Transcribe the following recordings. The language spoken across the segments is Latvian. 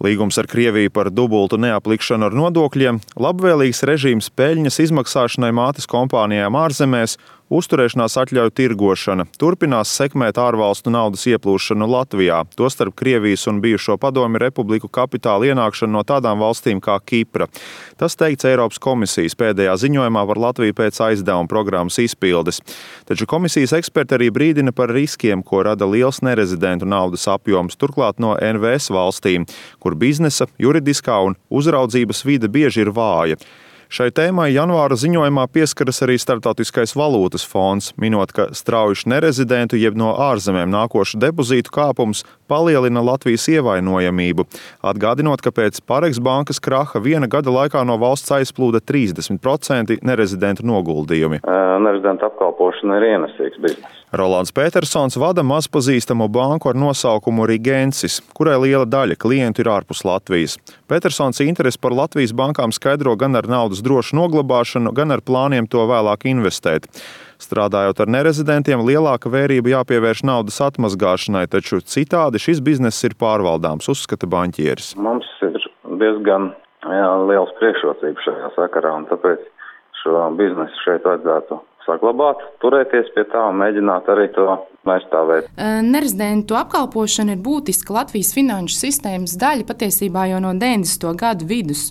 Līgums ar Krieviju par dubultu neaplikšanu ar nodokļiem, labvēlīgs režīms peļņas izmaksāšanai mātes kompānijām ārzemēs, uzturēšanās atļauju tirgošana, turpinās sekmēt ārvalstu naudas ieplūšanu Latvijā, tostarp Krievijas un bijušo Padomju republiku kapitāla ienākšanu no tādām valstīm kā Kipra. Tas teikts Eiropas komisijas pēdējā ziņojumā par Latviju pēc aizdevuma programmas izpildes. Taču komisijas eksperti arī brīdina par riskiem, ko rada liels nerezidentu naudas apjoms, turklāt no NVS valstīm, kur biznesa, juridiskā un uzraudzības vide bieži ir vāja. Šai tēmai janvāra ziņojumā pieskaras arī Starptautiskais valūtas fonds, minot, ka straujuši nerezidentu jeb no ārzemēm nākošu depozītu kāpums palielina Latvijas ievainojamību, atgādinot, ka pēc Parex bankas kraha viena gada laikā no valsts aizplūda 30% nerezidentu noguldījumi. Nerezidentu apkalpošana ir ienesīgs biznes. Rolands Petersons vada mazpazīstamu banku ar nosaukumu Rigensis, kurai liela daļa klientu ir ārpus Latvijas. Petersons interesi par Latvijas bankām skaidro gan ar naudas drošu noglabāšanu, gan ar plāniem to vēlāk investēt. Strādājot ar nerezidentiem, lielāka vērība jāpievērš naudas atmazgāšanai, taču citādi šis bizness ir pārvaldāms, uzskata banķieris. Mums ir diezgan liels priekšrocības šajā sakarā, un tāpēc šo biznesu šeit vajadzētu saglabāt, turēties pie tā un mēģināt arī to aizstāvēt. Nerezidentu apkalpošana ir būtiska Latvijas finanšu sistēmas daļa patiesībā jau no 90. gadu vidus.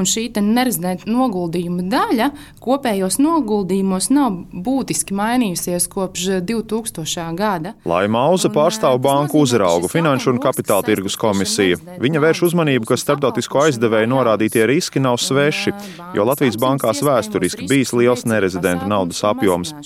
Un šī nerezidentu noguldījuma daļa kopējos noguldījumos nav būtiski mainījusies kopš 2000. gada. Laima Auza pārstāv banku uzraugu Finanšu un Kapitāla tirgus komisija. Viņa vērš uzmanību, ka starptautisko aizdevēju norādītie riski nav sveši, jo Latvijas bankās vēsturiski bijis liels nerezidentu naudas apjoms.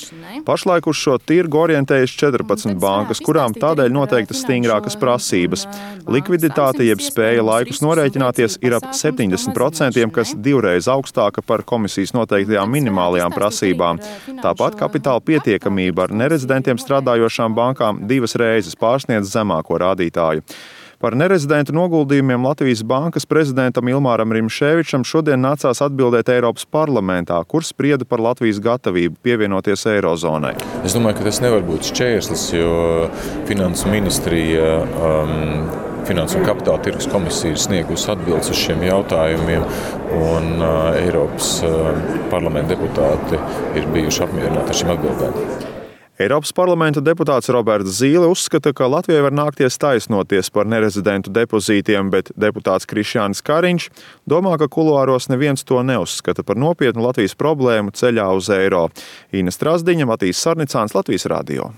Pašlaik uz šo tirgu orientējas 14 bankas, kurām tādēļ noteiktas stingrākas prasības. Likviditāte jeb spēja laikus norēķināties ir ap 70%, kas divreiz augstāka par komisijas noteiktajām minimālajām prasībām. Tāpat kapitāla pietiekamība ar nerezidentiem strādājošām bankām 2 reizes pārsniedz zemāko rādītāju. Par nerezidentu noguldījumiem Latvijas bankas prezidentam Ilmāram Rimšēvičam šodien nācās atbildēt Eiropas parlamentā, kur sprieda par Latvijas gatavību pievienoties Eirozonai. Es domāju, ka tas nevar būt šķērslis, jo Finansu ministrija, Finansu un Kapitāla tirgus komisija ir sniegusi atbildes uz šiem jautājumiem, un Eiropas parlamenta deputāti ir bijuši apmierināti ar šīm atbildēm. Eiropas parlamenta deputāts Roberts Zīle uzskata, ka Latvijai var nākties taisnoties par nerezidentu depozītiem, bet deputāts Krišjānis Kariņš domā, ka kuluāros neviens to neuzskata par nopietnu Latvijas problēmu ceļā uz eiro. Ina Strasdiņa, Matīs Sarnicāns, Latvijas radio.